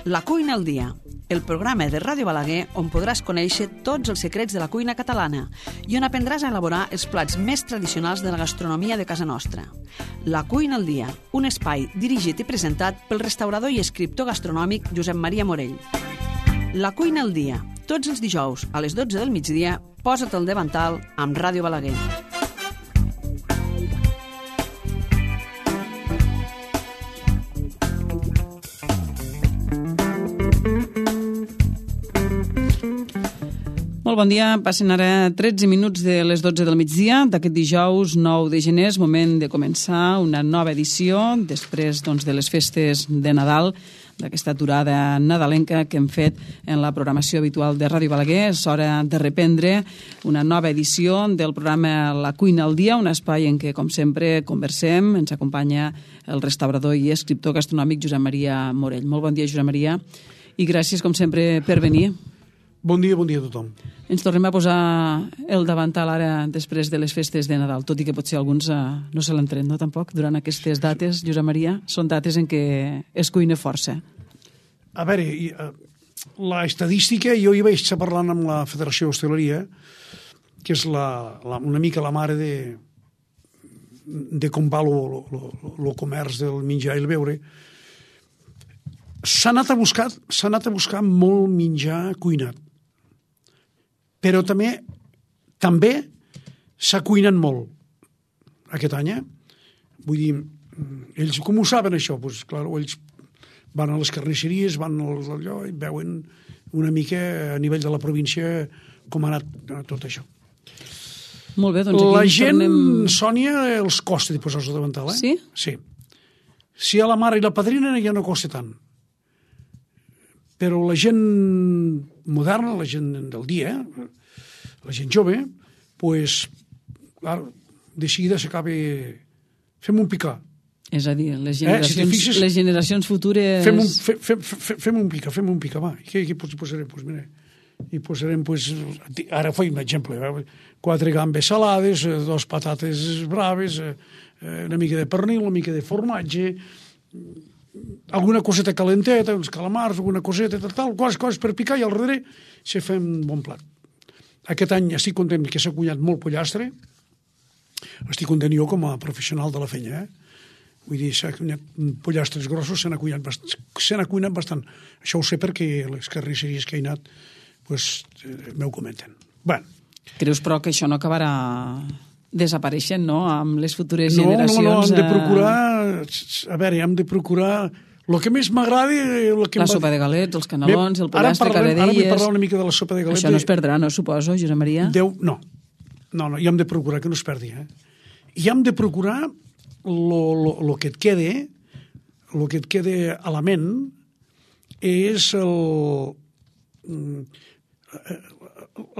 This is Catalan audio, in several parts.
La cuina al dia, el programa de Ràdio Balaguer on podràs conèixer tots els secrets de la cuina catalana i on aprendràs a elaborar els plats més tradicionals de la gastronomia de casa nostra. La cuina al dia, un espai dirigit i presentat pel restaurador i escriptor gastronòmic Josep Maria Morell. La cuina al dia, tots els dijous a les 12 del migdia, posa't el davantal amb Ràdio Balaguer. Molt bon dia, passen ara 13 minuts de les 12 del migdia d'aquest dijous 9 de gener, és moment de començar una nova edició després de les festes de Nadal, d'aquesta aturada nadalenca que hem fet en la programació habitual de Ràdio Balaguer. És hora de reprendre una nova edició del programa La cuina al dia, un espai en què, com sempre, conversem. Ens acompanya el restaurador i escriptor gastronòmic Josep Maria Morell. Molt bon dia, Josep Maria, i gràcies, com sempre, per venir. Bon dia a tothom. Ens tornem a posar el davantal ara després de les festes de Nadal, tot i que potser alguns no se l'entren, no, tampoc, durant aquestes dates, Josep Maria, són dates en què es cuina força. A veure, la estadística, jo hi vaig estar parlant amb la Federació d'Hostaleria, que és una mica la mare de com va el comerç del menjar i el beure. S'ha anat a buscar molt menjar cuinat, però també s'ha cuinat molt aquest any. Vull dir, ells com ho saben això? Pues, clar, ells van a les carnisseries, van allò i veuen una mica a nivell de la província com ha anat tot això. Molt bé, doncs aquí la gent, Sònia, els costa de posar-se davantal, Sí? Sí. Si a la mare i la padrina ja no costa tant. Però la gent moderna, la gent del dia, la gent jove, pues, clar, de seguida s'acaba... Fem un picar. És a dir, les generacions futures... Fem un picar, va. Què posarem? Pues mira, hi posarem, pues, ara faig un exemple, 4 gambes salades, 2 patates braves, una mica de pernil, una mica de formatge, alguna coseta calenteta, uns calamars, alguna coseta, tal, coses per picar, i al darrere se fa un bon plat. Aquest any estic content que s'ha cuinat molt pollastre, estic content jo com a professional de la feina, Vull dir, s'ha cuinat pollastres grossos, se n'ha cuinat bastant. Això ho sé perquè les carnisseries que he anat m'ho comenten. Bé. Creus, però, que això no acabarà desapareixent, no?, amb les futures generacions? No, hem de procurar... A veure, hem de procurar... El que més m'agrada... La sopa de galets, els canelons, el pollastre, caradelles... Ara vull parlar una mica de la sopa de galets. Això no es perdrà, no, suposo, Josep Maria? No, i hem de procurar que no es perdi. I hem de procurar el que et quede a la ment és el...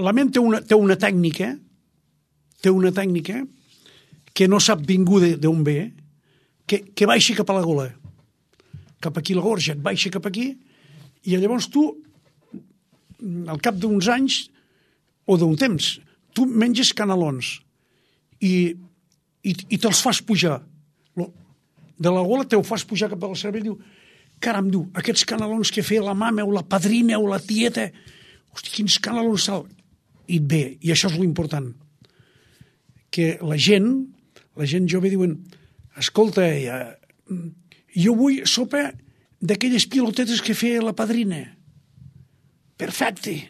La ment té una tècnica que no sap ningú d'on ve, que baixa cap a la gola, cap aquí la gorja, et baixa cap aquí, i llavors tu, al cap d'uns anys o d'un temps, tu menges canelons i te'ls fas pujar. De la gola te'l fas pujar cap a la cervell i diu, caram, aquests canelons que feia la mama o la padrina o la tieta, hosti, quins canelons sal. I et ve, i això és l'important, que la gent jove diuen, escolta, jo vull sopa d'aquelles pilotetes que feia la padrina. Perfecte.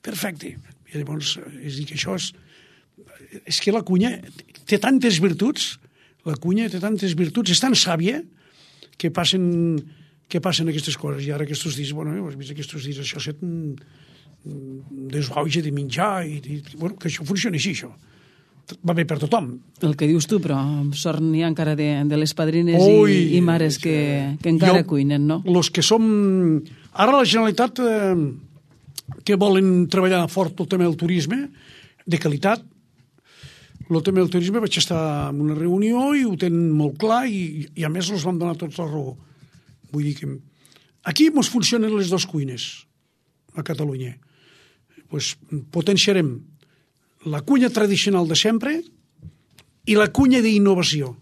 I llavors, és dir, que això és que la cuina té tantes virtuts, és tan sàvia que passen aquestes coses. I ara aquests dies, has vist aquests dies, això s'ha desauge de menjar, que això funciona així, això. Va bé per tothom. El que dius tu, però sort n'hi ha encara de les padrines i mares que encara cuinen, no? Els que som... Ara la Generalitat que volen treballar fort el tema del turisme, de qualitat, el tema del turisme vaig estar en una reunió i ho tenen molt clar i a més els vam donar tots la raó. Vull dir que aquí ens funcionen les dues cuines a Catalunya. Potenciarem la cuina tradicional de sempre i la cuina d'innovació.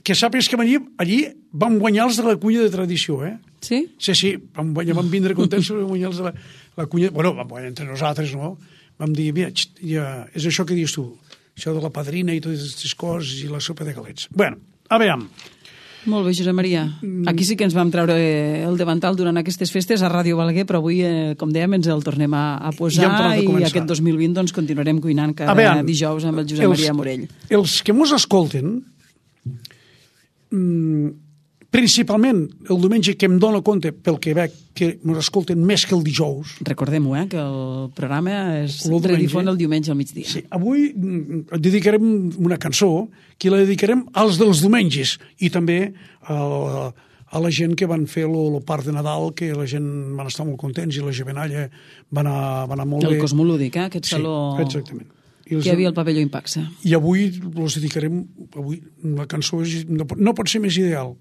que sàpigues que allí vam guanyar els de la cuina de tradició, Sí? Sí, vam vindre contents sobre guanyar els de la cuina. Bueno, vam guanyar entre nosaltres, no? Vam dir, mira, ja, és això que dius tu, això de la padrina i totes aquestes coses i la sopa de galets. Bueno, a veure. Molt bé, Josep Maria. Aquí sí que ens vam treure el davantal durant aquestes festes a Ràdio Balaguer, però avui, com dèiem, ens el tornem a posar i aquest 2020 doncs, continuarem cuinant cada dijous amb el Josep Maria Morell. Els que mos escolten, principalment el diumenge, que em dono compte pel que veig que ens escolten més que el dijous. Recordem-ho, que el programa es redifon el diumenge al migdia. Sí, avui dedicarem una cançó que la dedicarem als dels diumenges i també a la gent que van fer el parc de Nadal, que la gent van estar molt contents i la Jovenalla va anar molt bé. El Cosmolúdic, aquest saló... Sí, exactament. Que hi havia el pavelló Impaxa. I avui els dedicarem... La cançó no pot ser més ideal.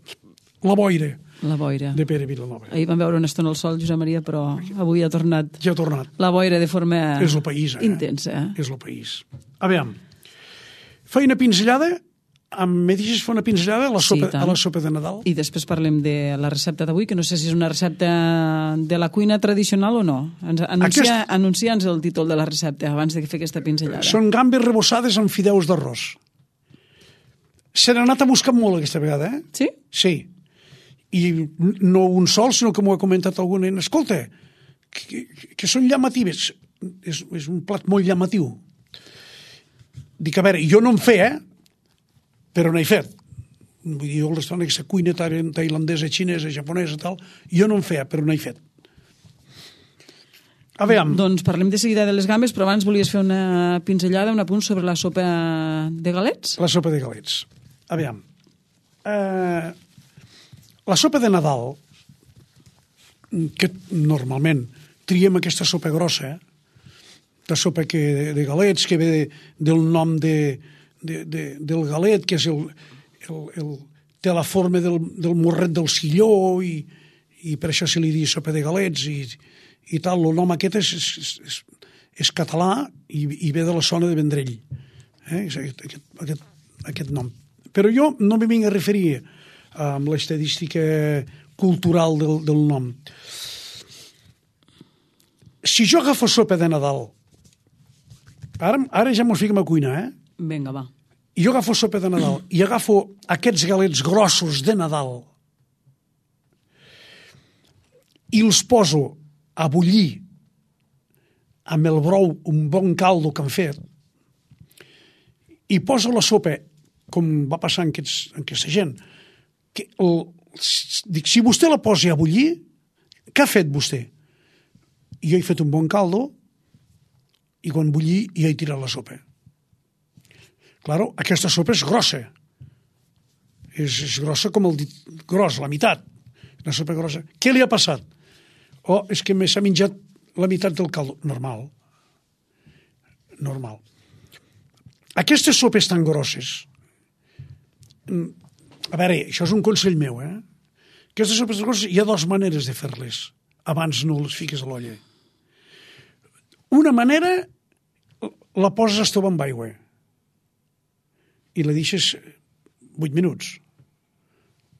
La boira. La boira. De Pere Vilanova. Ahir vam veure una estona al sol, Josep Maria, però avui ha tornat. Ja ha tornat. La boira de forma és el país, intensa. És el país. A veure, feia una pinzellada, me deixes fer una pinzellada a la sopa de Nadal? I després parlem de la recepta d'avui, que no sé si és una recepta de la cuina tradicional o no. Anuncia'ns el títol de la recepta abans de fer aquesta pinzellada. Són gambes rebossades amb fideus d'arròs. Se n'ha anat a buscar molt aquesta vegada, Sí? Sí. I no un sol, sinó que m'ho ha comentat algú nen. Escolta, que són llamatives. És un plat molt llamatiu. Dic, a veure, jo no en feia, però n'he fet. Vull dir, jo l'estan aquesta cuina tailandesa, xinesa, japonesa, tal, jo no en feia, però n'he fet. A veure... Doncs parlem de seguida de les gambes, però abans volies fer una pinzellada, un apunt sobre la sopa de galets? La sopa de galets. A veure... La sopa de Nadal, que normalment triem aquesta sopa grossa, la sopa de galets, que ve del nom del galet, que és té la forma del morret del silló, i per això se li diu sopa de galets, i tal. El nom aquest és català i ve de la zona de Vendrell, aquest nom. Però jo no m'hi vinc a referir amb l'estadística cultural del nom. Si jo agafo sopa de Nadal, ara ja mos fiquem a cuinar, Vinga, va. I jo agafo sopa de Nadal i agafo aquests galets grossos de Nadal i els poso a bullir amb el brou, un bon caldo que han fet, i poso la sopa, com va passar en aquesta gent, dic, si vostè la posa a bullir, què ha fet vostè? Jo he fet un bon caldo i quan bullir ja he tirat la sopa. Claro, aquesta sopa és grossa. És grossa com el dit gros, la meitat. La sopa grossa. Què li ha passat? És que s'ha menjat la meitat del caldo. Normal. Aquestes sopes tan grosses, a veure, això és un consell meu, Aquestes sopes grosses hi ha dues maneres de fer-les abans no les fiques a l'olla. Una manera, la poses a estovar amb aigua i la deixes 8 minuts.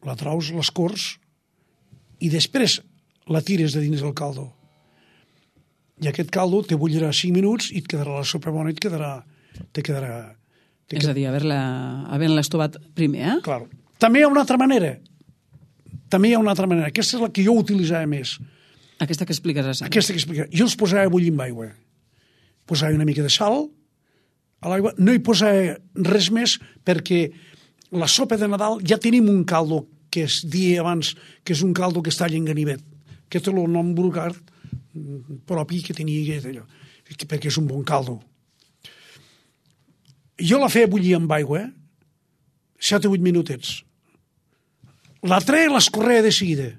La traus, l'escorts i després la tires de dins del caldo. I aquest caldo te bullirà 5 minuts i et quedarà la sopa bona i te quedarà... És a dir, havent-la estovat primer, Claro. També hi ha una altra manera. Aquesta és la que jo utilitzava més. Aquesta que explicaràs. Jo els posava a bullir amb aigua. Posava una mica de sal a l'aigua. No hi posava res més perquè la sopa de Nadal ja tenim un caldo que es dia abans, que és un caldo que està en ganivet, que té el nom vulgar propi que tenia allò, perquè és un bon caldo. Jo la feia bullir amb aigua 7 o 8 minutets. La treia i l'escorreia de seguida.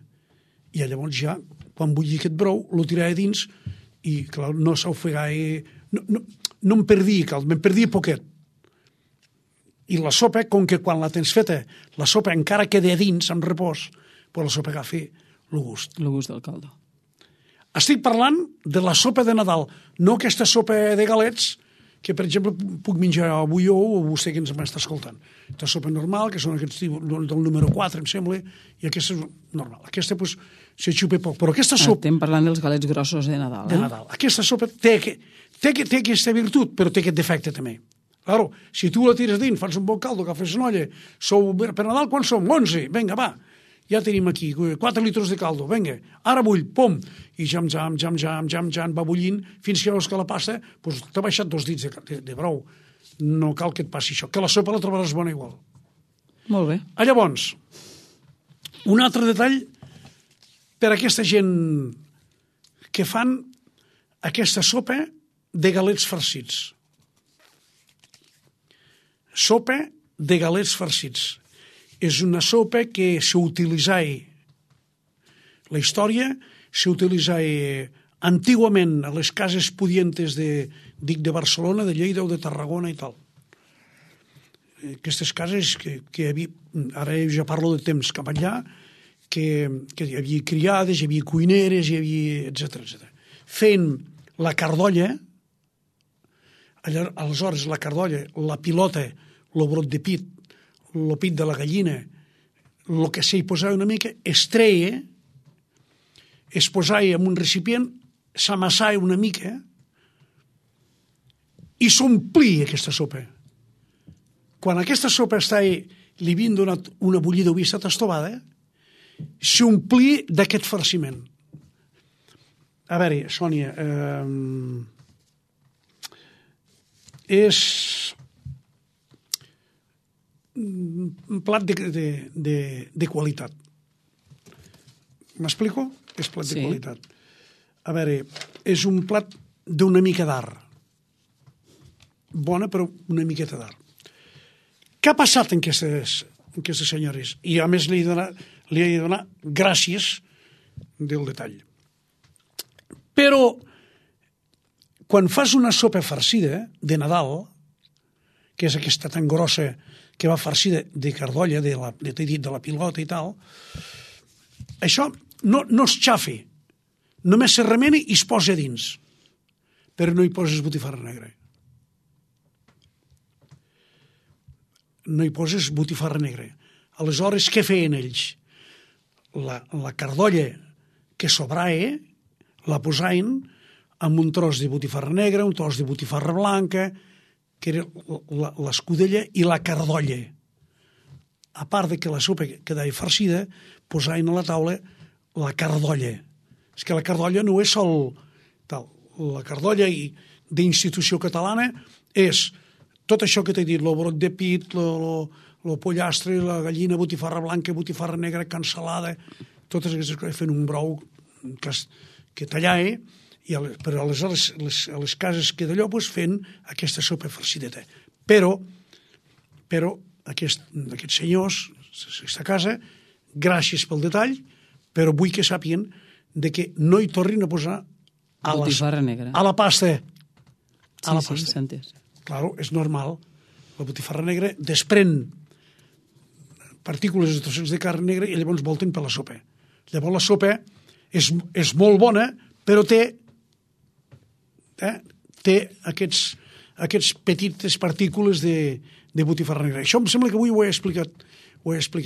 I llavors ja, quan bullia aquest brou, lo tirava dins i, clar, no s'ofegava... No em perdia cald, me'n perdia poquet. I la sopa, com que quan la tens feta, la sopa encara queda dins, en repòs, però la sopa agafa el gust. El gust del caldo. Estic parlant de la sopa de Nadal, no aquesta sopa de galets que, per exemple, puc menjar avui o vostè que ens m'està escoltant. La sopa normal, que són aquests tipus del número 4, em sembla, i aquesta és normal. Aquesta, doncs, se xupa poc. Però aquesta sopa... Estem parlant dels galets grossos de Nadal. De Nadal. Aquesta sopa té aquesta virtut, però té aquest defecte també. Claro, si tu la tires dins, fas un bon caldo, agafes una olla, per Nadal quan som? 11, vinga, va. Ja tenim aquí 4 litres de caldo, vinga, ara bull, pom, i jam, va bullint, fins que veus que la pasta t'ha baixat 2 dits de brou. No cal que et passi això, que la sopa la trobaràs bona igual. Molt bé. Llavors, un altre detall per a aquesta gent que fan aquesta sopa de galets farcits. Sopa de galets farcits. És una sopa que s'utilitzava, la història s'utilitzava antigament a les cases pudientes de Barcelona, de Lleida o de Tarragona i tal. Aquestes cases que hi havia, ara ja parlo de temps cap allà, que hi havia criades, hi havia cuineres, hi havia, etc. Fent la cardolla, aleshores la cardolla, la pilota, el brot de pit, el pit de la gallina, el que s'hi posava una mica, es treia, es posava en un recipient, s'amassava una mica i s'omplia aquesta sopa. Quan aquesta sopa estava li havien donat una bullida o havia estat estovada, s'omplia d'aquest farciment. A veure, Sònia, és un plat de qualitat. M'explico? És plat de qualitat. A veure, és un plat d'una mica d'art. Bona, però una miqueta d'art. Què ha passat en aquestes senyores? I a més li he de donar gràcies del detall. Però quan fas una sopa farcida de Nadal, que és aquesta tan grossa que va farcida de cardolla, de la pilota i tal, això no es xafa, només se remena i es posa dins, però no hi poses botifarra negra. No hi poses botifarra negra. Aleshores, què feien ells? La cardolla que sobrava la posaven amb un tros de botifarra negra, un tros de botifarra blanca, que era l'escudella i la cardolla. A part de que la sopa quedava farcida, posaven a la taula la cardolla. És que la cardolla no és sol tal. La cardolla d'institució catalana és tot això que t'he dit, el brot de pit, el pollastre, la gallina, botifarra blanca, botifarra negra, cansalada, totes aquestes coses, fent un brou que tallava, però aleshores a les cases que d'allò fent aquesta sopa farcideta. Però aquests senyors, aquesta casa, gràcies pel detall, però vull que sàpiguen que no hi tornin a posar botifarra negra a la pasta. Sí, s'ha entès. Claro, és normal. La botifarra negra desprèn partícules de trossets de carn negra i llavors volten per la sopa. Llavors la sopa és molt bona, però té aquests petites partícules de botifarra negra. Això em sembla que avui ho he explicat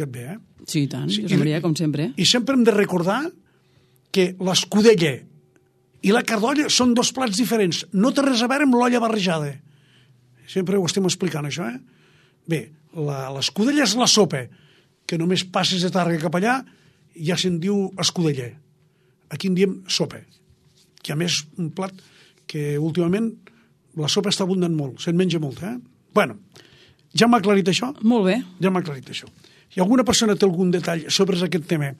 bé. Sí, i tant, Josep Maria, com sempre. I sempre hem de recordar que l'escudella i la cardolla són 2 plats diferents. No té res a veure amb l'olla barrejada. Sempre ho estem explicant, això, Bé, l'escudella és la sopa, que només passes de Tàrrega cap allà i ja se'n diu escudella. Aquí en diem sopa, que a més un plat que últimament la sopa està abundant molt, se'n menja molt, Bueno, ja m'ha aclarit això? Molt bé. Ja m'ha aclarit això. Si alguna persona té algun detall sobre aquest tema,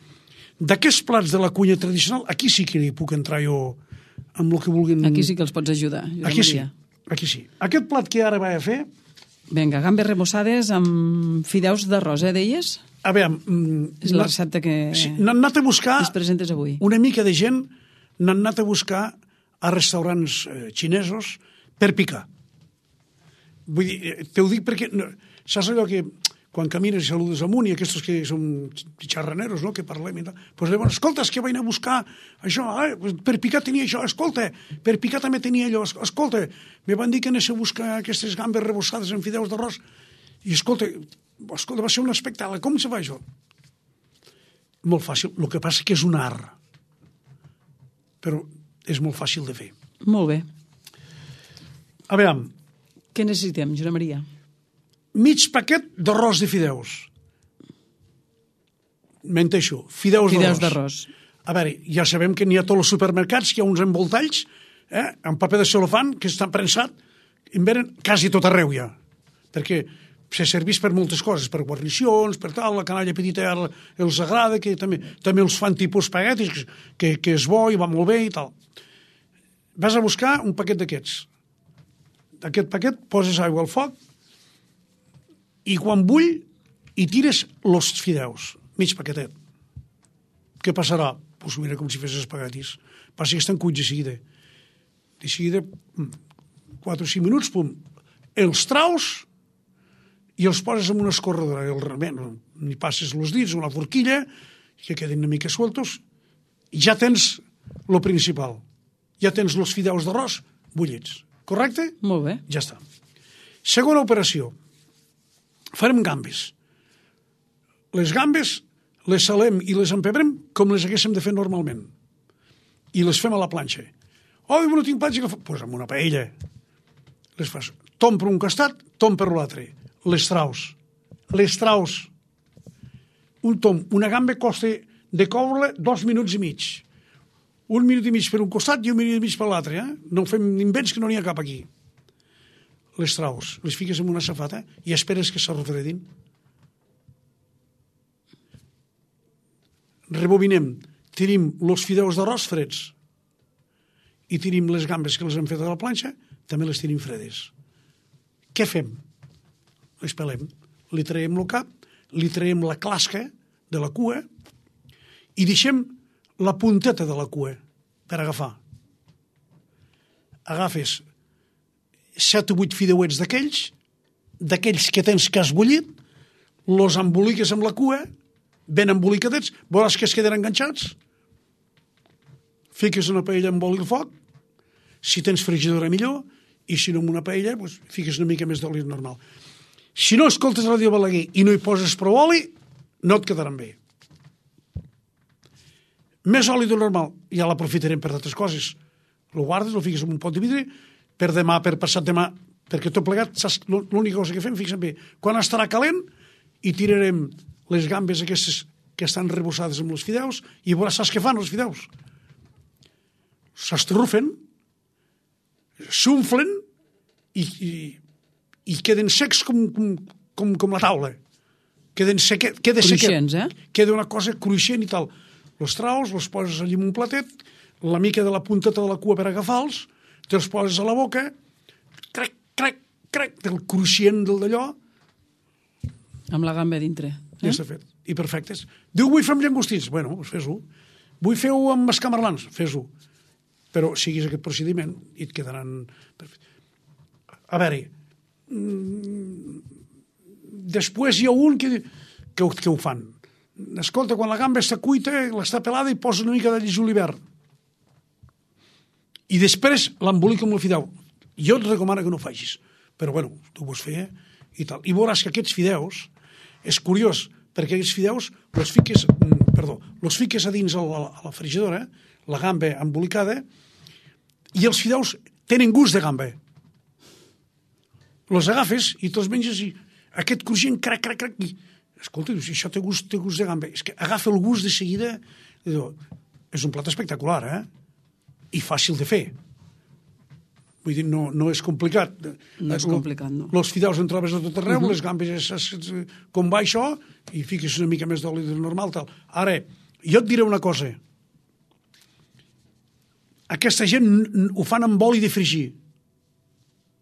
d'aquests plats de la cuina tradicional, aquí sí que hi puc entrar jo amb el que vulguin... Aquí sí que els pots ajudar, Josep Maria. Aquí sí. Aquest plat que ara vaig a fer... Vinga, gambes remossades amb fideus d'arròs, deies? A veure... És la recepta que n'han anat a buscar... ens presentes avui. Una mica de gent n'han anat a buscar a restaurants xinesos per picar. Vull dir, t'ho dic perquè... Saps allò que quan camines i saludes amunt, i aquests que són xarraneros, no?, que parlem i tal, doncs llavors, escolta, és que vaig anar a buscar això, per picar tenia això, escolta, per picar també tenia allò, escolta, me van dir que anés a buscar aquestes gambes rebossades en fideus d'arròs, i escolta, va ser un espectacle, com se fa això? Molt fàcil, el que passa que és un art, però és molt fàcil de fer. Molt bé. A veure, Què necessitem, Josep Maria? mig paquet d'arròs de fideus. Menteixo, fideus d'arròs. A veure, ja sabem que n'hi ha a tots els supermercats, que hi ha uns envoltalls, amb paper de celofan, que està prensat, en venen quasi tot arreu ja, perquè se serveix per moltes coses, per guarnicions, per tal, la canalla petita els agrada, que també els fan tipus espaguetis, que és bo i va molt bé i tal. Vas a buscar un paquet d'aquests. D'aquest paquet poses aigua al foc, i quan bull, hi tires els fideus, mig paquetet. Què passarà? Doncs mira com si fes espaguetis. Passa que estan cuits de seguida. De seguida, 4 o 5 minuts, pum, els traus i els poses en una escorredora. N'hi passes els dits, una forquilla, que queden una mica sueltos, i ja tens el principal. Ja tens els fideus d'arròs bullits. Correcte? Molt bé. Ja està. Segona operació. Farem gambes. Les gambes les salem i les empebrem com les haguéssim de fer normalment. I les fem a la planxa. Oh, no tinc planxa. Doncs amb una paella. Les fas tom per un costat, tom per l'altre. Les traus. Un tom, una gamba costa de coure 2 minuts i mig. 1 minut i mig per un costat i 1 minut i mig per l'altre. No fem invents que no n'hi ha cap aquí. Les traus, les fiques en una safata i esperes que s'arrofredin. Rebobinem, tirim els fideus d'arròs freds i tirim les gambes que les hem fet a la planxa, també les tirim fredes. Què fem? Les pelem, li traiem el cap, li traiem la clasca de la cua i deixem la punteta de la cua per agafar. Agafes 7 o 8 fideuets d'aquells que tens que has bullit, los emboliques amb la cua, ben embolicadets, veuràs que es queden enganxats, fiques una paella amb oli al foc, si tens frigidora millor, i si no amb una paella, doncs, fiques una mica més d'oli normal. Si no escoltes Ràdio Balaguer i no hi poses prou oli, no et quedaran bé. Més oli del normal, ja l'aprofitarem per altres coses. Lo guardes, lo fiques en un pot de vidre, per demà, per passat demà, perquè tot plegat, saps, l'única cosa que fem, fixa't bé, quan estarà calent, i tirarem les gambes aquestes que estan rebossades amb els fideus, i veuràs, saps què fan els fideus? S'estrufen, s'unflen, i queden secs com la taula. Queda cruixents, queda una cosa cruixent i tal. Els traus, els poses allà en un platet, la mica de la punteta de la cua per agafar-los, te'ls poses a la boca, crec, del cruixent del d'allò. Amb la gamba dintre. Ja està fet. I perfectes. Diu, vull fer amb llangostins. Bueno, doncs fes-ho. Vull fer-ho amb escamarlans. Fes-ho. Però siguis aquest procediment i et quedaran... A veure, després hi ha un que ho fan. Escolta, quan la gamba està cuita, l'està pelada i posa una mica d'all i julivert. I després l'embolica amb el fideu. Jo et recomano que no ho facis, però bueno, tu ho pots fer i tal. I veuràs que aquests fideus, és curiós, perquè aquests fideus los fiques a dins a la frigidora, la gamba embolicada, i els fideus tenen gust de gamba. Los agafes i te'ls menges i aquest cruixent, crac, i escolta, si això té gust de gamba, és que agafa el gust de seguida. És un plat espectacular, i fàcil de fer. Vull dir, no és complicat. No és complicat, no. Els fideus en trobes a tot arreu, les gambes com va això, i fiques una mica més d'oli del normal, tal. Ara, jo et diré una cosa. Aquesta gent ho fan amb oli de fregir,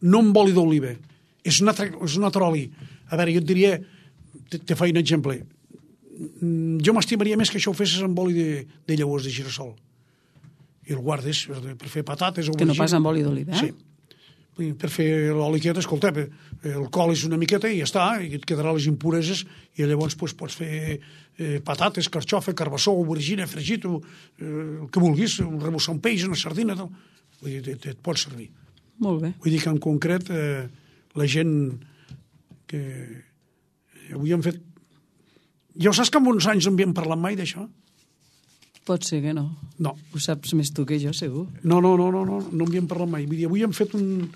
no amb oli d'oliva. És un altre oli. A veure, jo et diria, te faig un exemple. Jo m'estimaria més que això ho fessis amb oli de llavors de girassol. I el guardes per fer patates o que no pas amb oli d'oliva, Sí. Per fer l'oli aquest, escolta, el colis una miqueta i ja està, i et quedarà les impureses, i llavors pots fer patates, carxofa, carbassó, aubergina, fregit, el que vulguis, rebussar un peix, una sardina, tal. Vull dir, et pot servir. Molt bé. Vull dir que en concret la gent que avui han fet... Ja ho saps que en uns anys no havíem parlat mai d'això? Pot ser que no. No. Ho saps més tu que jo, segur. No havíem parlat mai. Vull dir, avui hem fet un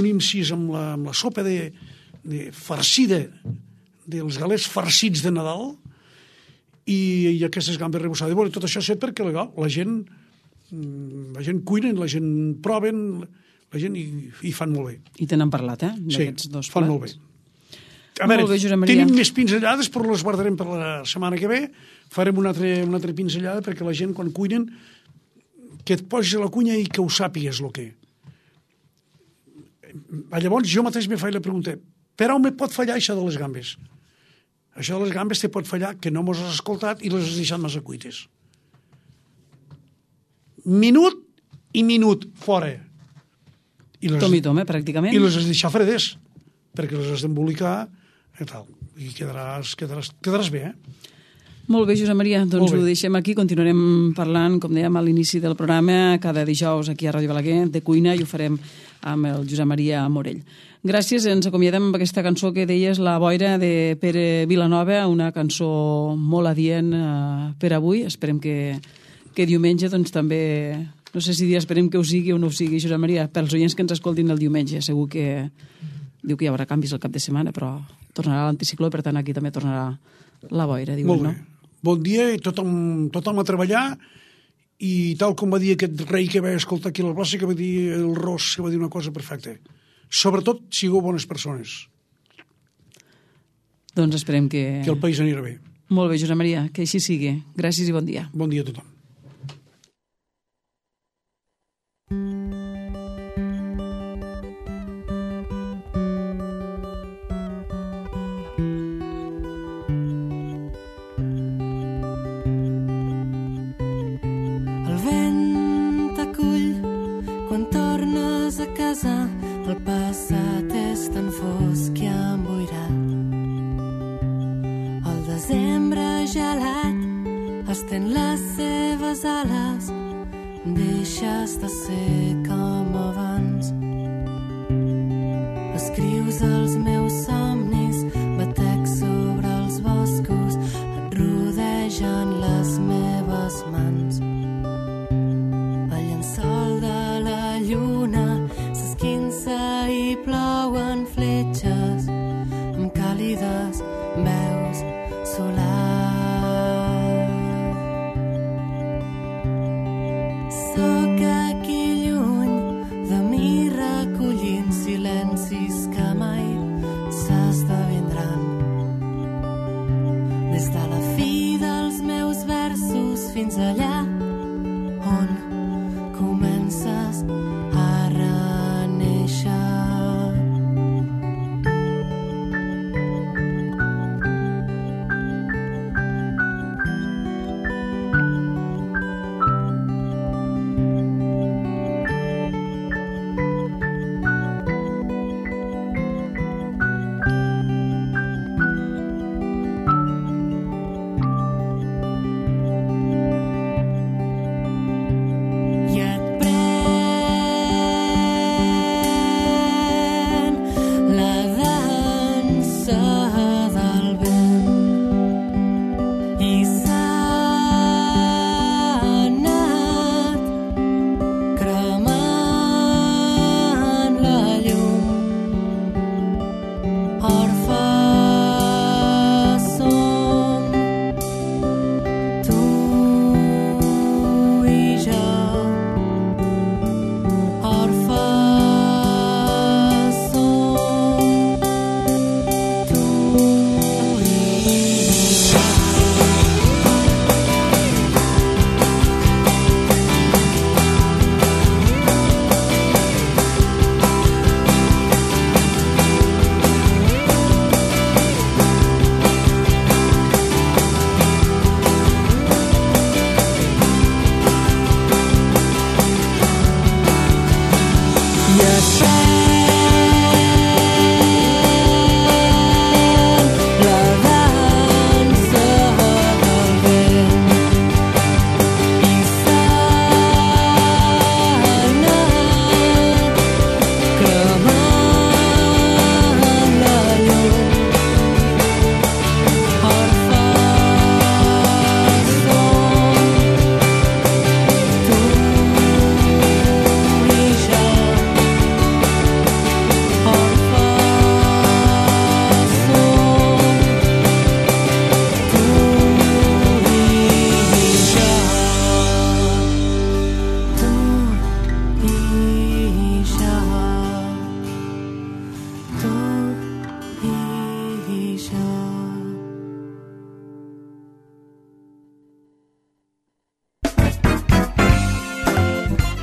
incís amb la sopa de farcida dels galets farcits de Nadal i aquestes gambes rebussades. Bueno, tot això és perquè la gent cuina, la gent proven, la gent hi fan molt bé. I te n'han parlat, d'aquests dos plats. Fan molt bé. A veure, bé, tenim més pinzellades, però les guardarem per la setmana que ve. Farem una altra pinzellada perquè la gent, quan cuinen, que et posis a la cuina i que ho sàpigues el que. Llavors, jo mateix me faig la pregunta, per on me pot fallar això de les gambes? Això de les gambes te pot fallar que no mos has escoltat i les has deixat massa cuites. Minut i minut, fora. Tom i tom, pràcticament. I les has deixat fredes, perquè les has d'embolicar i tal. I quedaràs bé, Molt bé, Josep Maria, doncs ho deixem aquí, continuarem parlant, com dèiem a l'inici del programa, cada dijous aquí a Ràdio Balaguer, de cuina, i ho farem amb el Josep Maria Morell. Gràcies, ens acomiadem amb aquesta cançó que deies, La boira, de Pere Vilanova, una cançó molt adient per avui. Esperem que diumenge doncs també, no sé si esperem que ho sigui o no ho sigui, Josep Maria, pels oients que ens escoltin el diumenge, segur que diu que hi haurà canvis al cap de setmana, però tornarà l'anticicló, per tant aquí també tornarà la boira, diuen, no? Bon dia i tothom a treballar, i tal com va dir aquest rei que va escoltar aquí a la plaça, que va dir el Ros, que va dir una cosa perfecta. Sobretot, sigueu bones persones. Doncs esperem que el país anirà bé. Molt bé, Josep Maria, que així sigui. Gràcies i bon dia. Bon dia a tothom. El passat és tan fosc i emboirat. El desembre gelat estén les seves ales, deixes de ser com abans. Escrius els meus somnis, batec sobre els boscos, et rodegen les meves mans. El llençol de la lluna i plouen fletxes amb càlides veus solars. Sóc aquí lluny de mi recollint silencis que mai s'esdevindran. Des de la fi dels meus versos fins allà on comences a reneixer.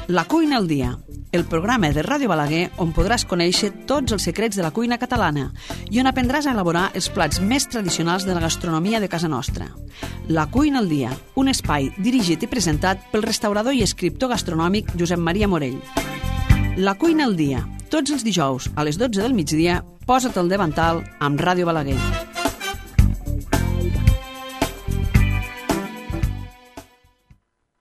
La cuina al dia, el programa de Ràdio Balaguer on podràs conèixer tots els secrets de la cuina catalana i on aprendràs a elaborar els plats més tradicionals de la gastronomia de casa nostra. La cuina al dia, un espai dirigit i presentat pel restaurador i escriptor gastronòmic Josep Maria Morell. La cuina al dia, tots els dijous a les 12 del migdia, posa't al davantal amb Ràdio Balaguer.